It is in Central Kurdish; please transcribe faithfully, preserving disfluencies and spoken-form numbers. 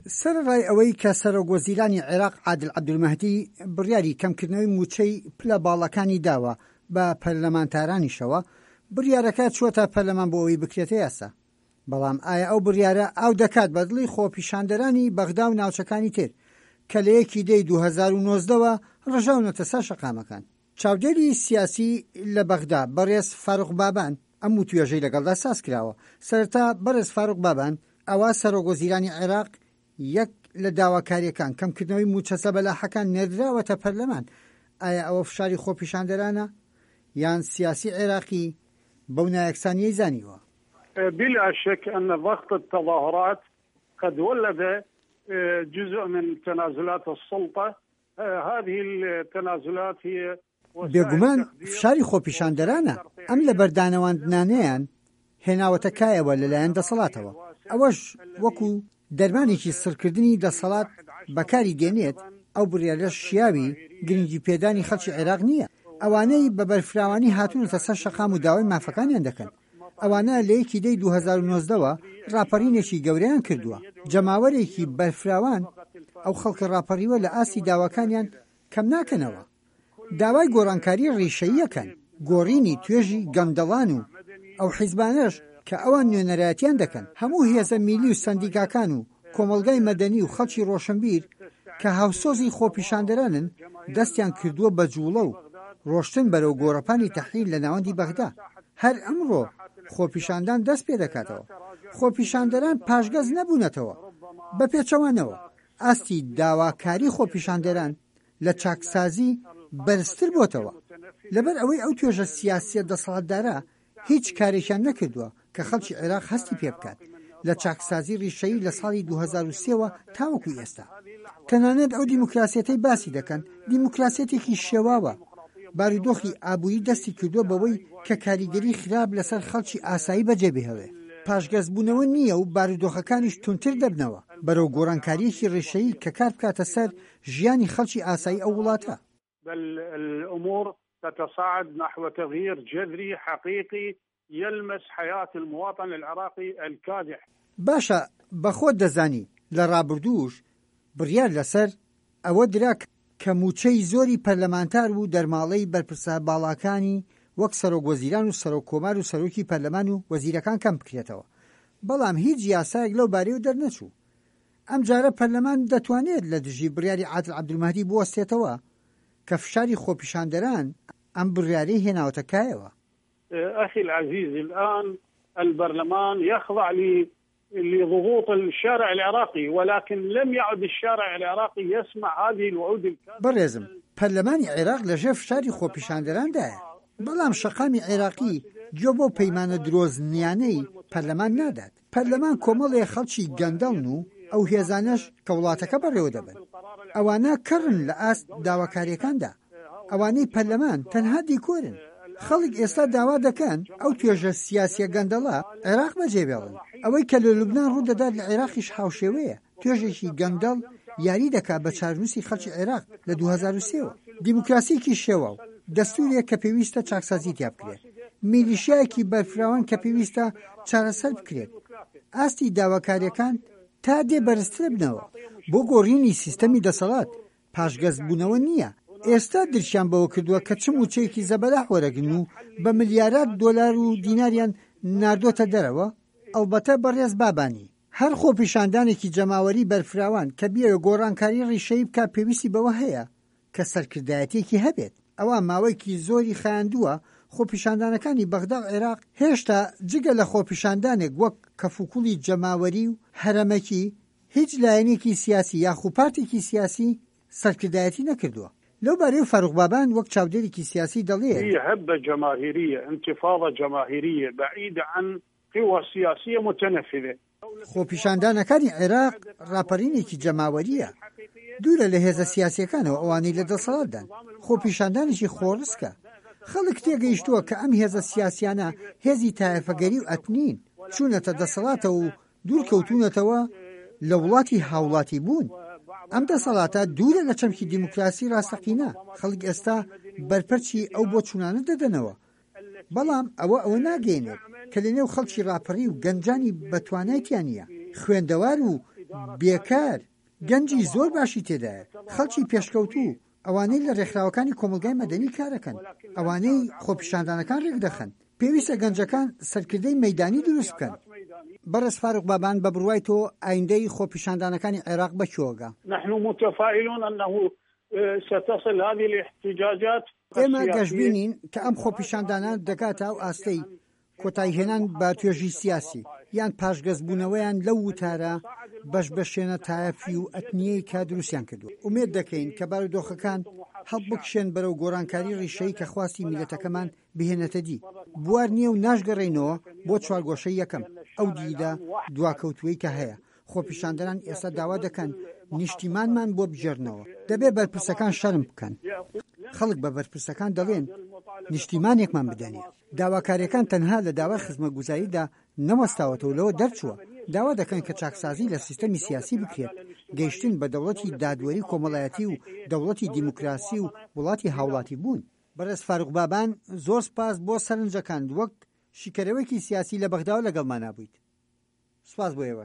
سەرەڕای ئەوەی کە سەرۆک وەزیرانی عێراق عادل عەبدولمەهدی بڕیاری کەمکردنەوەی مووچەی پلە باڵاکانی داوە بە پەرلەمانتارانیشەوە، بڕیارەکە چووەتە پەرلەمان بۆ ئەوەی بکرێتە یاسا. بەڵام ئایا ئەو بڕیارە ئاو دەکات بە دڵی خۆپیشاندەرانی بەغدا و ناوچەکانی تر کە لە یەکی دەی دوو هەزار و نۆزدە وە ڕژاونەتە سەر شەقامەکان؟ چاودێری سیاسی لە بەغدا بەڕێز فاروق بابان ئەم وتوێژەی لەگەڵدا ساز کراوە. سەرەتا بەڕێز فاروق بابان، ئەوا سەرۆک وەزیرانی عێراق یەک لە داواکاریەکان کەمکردنەوەی مووچە زەبەلاحەکان نێردراوەتە پەرلەمان، ئایا ئەوە فشاری خۆپیشاندەرانە یان سیاسی عێراقی بەو نایەکسانیەی زانیوە؟ بلا شك أن ضغط التظاهرات قد ولد جزء من تنازلات السلطة. هذه التنازلات هي بێگومان فشاری خۆپیشاندەرانە ئەم لەبەردانەواندنانەیان هێناوەتە کایەوە لەلایەن دەسەڵاتەوە، ئەوەش وەکو دەرمانێکی سڕکردنی دەسەڵات بەکاری دێنێت. ئەو بڕیارە شیاوی گرنگی پێدانی خەڵکی عێراق نییە. ئەوانەی بە بەرفراوانی هاتوونەتە سەر شەقام و داوای مافەکانیان دەکەن، ئەوانە لە یەکی دەی دوو هەزار و نۆزدە وە ڕاپەڕینێکی گەورەیان کردووە. جەماوەرێکی بەرفراوان ئەو خەڵکە ڕاپەڕیوە لە ئاستی داواکانیان کەم ناکەنەوە، داوای گۆڕانکاری ڕیشەییەکەن، گۆڕینی توێژی گەندەڵان و ئەو حیزبانەش کە ئەوان نوێنەرایەتیان دەکەن. هەموو هێزە میلی و سەندیکاکان و کۆمەڵگای مەدەنی و خەڵکی ڕۆشنبیر کە هاوسۆزی خۆپیشاندەرانن دەستیان کردووە بە جوڵە و ڕۆشتن بەرەو گۆڕەپانی تەحریر لە ناوەندی بەغدا. هەر ئەمڕۆ خۆپیشاندان دەست پێ دەکاتەوە. خۆپیشاندەران پاشگەز نەبوونەتەوە، بە پێچەوانەوە ئاستی داواکاری خۆپیشاندەران لە چاکسازی بەرزتر بۆتەوە، لەبەر ئەوەی ئەو توێژە سیاسیە دەسەڵاتدارە هیچ کارێکیان نەکردووە کە خەڵکی عێراق هەستی پێ بکات لە چاکسازی ڕیشەیی لە ساڵی دوو هەزار و سێ وە تاوەکو ئێستا. تەنانەت ئەو دیموکراسیەتەی باسی دەکەن دیموکراسیەتێکی شێواوە. بارودۆخی ئابووری دەستی کردووە بەوەی کە کاریگەری خراپ لەسەر خەڵکی ئاسایی بەجێ بهێڵێ. پاشگەزبوونەوە نییە و بارودۆخەکانیش توندتر دەبنەوە بەرەو گۆڕانکاریەکی ڕیشەیی کە کار بکاتە سەر ژیانی خەڵکی ئاسایی ئەو وڵاتە. بل الأمور تتصاعد نحو تغيير جذري حقيقي يلمس حياة المواطن العراقي الكادح. باشە، بەخۆت دەزانی لە ڕابردووش بڕیار لەسەر ئەوە درا کە مووچەی زۆری پەرلەمانتار و دەرماڵەی بەرپرسە باڵاکانی وەک سەرۆک وەزیران و سەرۆک کۆمار و سەرۆکی پەرلەمان و وەزیرەکان کەم بکرێتەوە، بەڵام هیچ یاسایەک لەو بارەیەوە دەرنەچوو. ئەم جارە پەرلەمان دەتوانێت لە دژی بڕیاری عادل عەبدولمەهدی بوەستێتەوە کە فشاری خۆپیشاندەران ئەم بڕیارەی هێناوەتە کایەوە. أخي العزيز، الآن البرلمان يخضع لضغوط الشارع العراقي، ولكن لم يعد الشارع العراقي يسمع هذه الوعود الكاذبة. بەڕێزم، پەرلەمانی عێراق لەژێر فشاری خۆپیشاندەراندایە، بەڵام شەقامی عێراقی گوێ بۆ پەیمانە درۆزنیانەی پەرلەمان نادات. پەرلەمان کۆمەڵێ خەڵکی گەندەڵن و ئەو هێزانەش کە وڵاتەکە بەڕێوە دەبن، ئەوانە کەڕن لە ئاست داواکاریەکاندا. ئەوانەی پەرلەمان تەنها دیکۆرن. خەڵک ئێستا داوا دەکەن ئەو توێژە سیاسیە گەندەڵە عێراق بەجێبێڵن. ئەوەی کە لە لوبناان ڕوودەدات لە عێراقیش هاوشێوەیە. توێژێکی گەندەڵ یاری دەکات بە چارنووسی خەڵکی عێراق لە دوو هەزار و سێ وە. دیموکراسیەکی شێوە و دەستورێک کە پێویستە چاکسازی تیا بکرێت، میلیشیایەکی بەرفراوان کە پێویستە چارەسەر بکرێت. ئاستی داواکاریەکان تا دێ بەرزتر بنەوە. بۆ گۆڕینی سیستەمی دەسەڵات پاشگەزبوونەوە نییە. ئێستا درکیان بەوە کردووە کە چ مووچەیەکی زەبەلاح وەرەگرن و بە ملیارات دۆلار و دیناریان ناردۆتە دەرەوە. ئەلبەتە بەڕێز بابانی، هەر خۆپیشاندانێکی جەماوەری بەرفراوان کە بیەوێ گۆڕانکاری ڕیشەیی بکات پێویستی بەوە هەیە کە سەرکردایەتێکی هەبێت. ئەوە ماوەیەکی زۆری خایاندووە خۆپیشاندانەکانی بەغدا و عێراق هێشتا جگە لە خۆپیشاندانێک وەک کەفوکوڵی جەماوەری و هەرەمەکی هیچ لایەنێکی سیاسی یاخو پارتێکی سیاسی سەرکردایەتی نەکردووە. لەو بارەی فاروق بابان وەک چاودێرێکی سیاسی دەڵێت: هبة جماهيرية، انتفاضة جماهيرية بعيدة عن قوى سياسية متنفذة. خۆپیشاندانەکانی عێراق ڕاپەڕینێکی جەماوەریە، دوورە لە هێزە سیاسیەکانەوە ئەوانەی لە دەسەڵاتدان. خۆپیشاندانێکی خۆڕسکە. خەڵک تێگەیشتووە کە ئەم هێزە سیاسیانە هێزی تایەفەگەری و ئەتنین، چوونەتە دەسەڵاتەوە و دوورکەوتوونەتەوە لە وڵاتی هاوڵاتی بوون. ئەم دەسەڵاتە دوورە لە چەمکی دیموکراسی ڕاستەقینە. خەڵک ئێستا بەرپەرچی ئەو بۆ چوونانە دەدەنەوە، بەڵام ئەوە ئەوە ناگەێنێت کە لەنێو خەڵکی ڕاپەڕی و گەنجانی بەتوانایتیان نییە، خوێندەوار و بێکار، گەنجی زۆر باشی تێدایە، خەڵکی پێشکەوتوو، ئەوانەی لە ڕێکخراوەکانی کۆمەڵگای مەدەنی کارەکەن، ئەوانەی خۆپیشاندانەکان ڕێکدەخەن. پێویستە گەنجەکان سەرکردەی مەیدانی دروست بکەن. بەڕێز فاروق بابان، بە بڕوای تۆ ئایندەی خۆپیشاندانەکانی عێراق بە کوێوە گا؟ نحن متفائلون انه ستصل هذه الاحتجاجات ئێمە گەشبینین کە ئەم خۆپیشاندانە دەگاتە ئەو ئاستەی کۆتاییهێنان بە توێژی سیاسی، یان پاشگەزبوونەوەیان لەو وتارە بەشبەشێنە تایەفی و ئەتنییەی کە دروستیان کردووە. ئومێد دەکەین کە بارودۆخەکان هەڵبکشێن بەرەو گۆڕانکاری ڕیشەیی کە خواستی میللەتەکەمان بهێنێتە دی. بوار نییە و ناشگەڕێینەوە بۆ چوارگۆشەی یەکەم، ئەو دیدە دواکەوتووەی کە هەیە. خۆپیشاندەران ئێستا داوا دەکەن نیشتیمانمان بۆ بگێڕنەوە. دەبێ بەرپرسەکان شەرم بکەن. خەڵک بە بەرپرسەکان دەڵێن نیشتیمانێکمان بدەنێ. داواکارییەکان تەنها لە داوای خزمەتگوزاریدا نەوەستاوەتەوە لەوە دەرچووە داوا دەکەن کە چاکسازی لە سیستەمی سیاسی بکرێت، گەیشتن بە دەوڵەتی دادوەری کۆمەڵایەتی و دەوڵەتی دیموکراسی و وڵاتی هاوڵاتیبوون. بەڕێز فاروق بابان زۆر سوپاس بۆ سەرنجەکانت وەک شیکەرەوەیەکی سیاسی لە بەغداوە لەگەڵمانا بوویت. سوپاس بۆ ئێوەش.